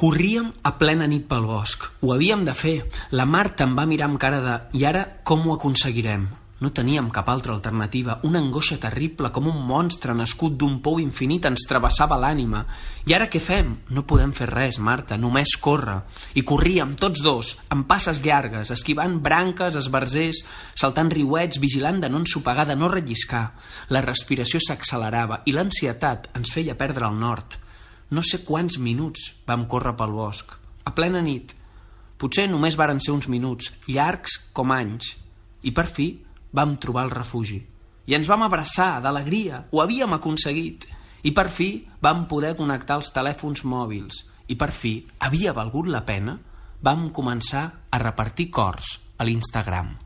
Corríem a plena nit pel bosc. Ho havíem de fer. La Marta em va mirar amb cara de «I ara com ho aconseguirem?» No teníem cap altra alternativa. Una angoixa terrible, com un monstre nascut d'un pou infinit, ens travessava l'ànima. I ara què fem? No podem fer res, Marta, només córrer. I corríem, tots dos, amb passes llargues, esquivant branques, esbarzers, saltant riuets, vigilant de no ensopegar, de no relliscar. La respiració s'accelerava i l'ansietat ens feia perdre el nord. No sé quants minuts vam córrer pel bosc, a plena nit. Potser només varen ser uns minuts, llargs com anys. I per fi vam trobar el refugi. I ens vam abraçar d'alegria, ho havíem aconseguit. I per fi vam poder connectar els telèfons mòbils. I per fi, havia valgut la pena, vam començar a repartir cors a l'Instagram.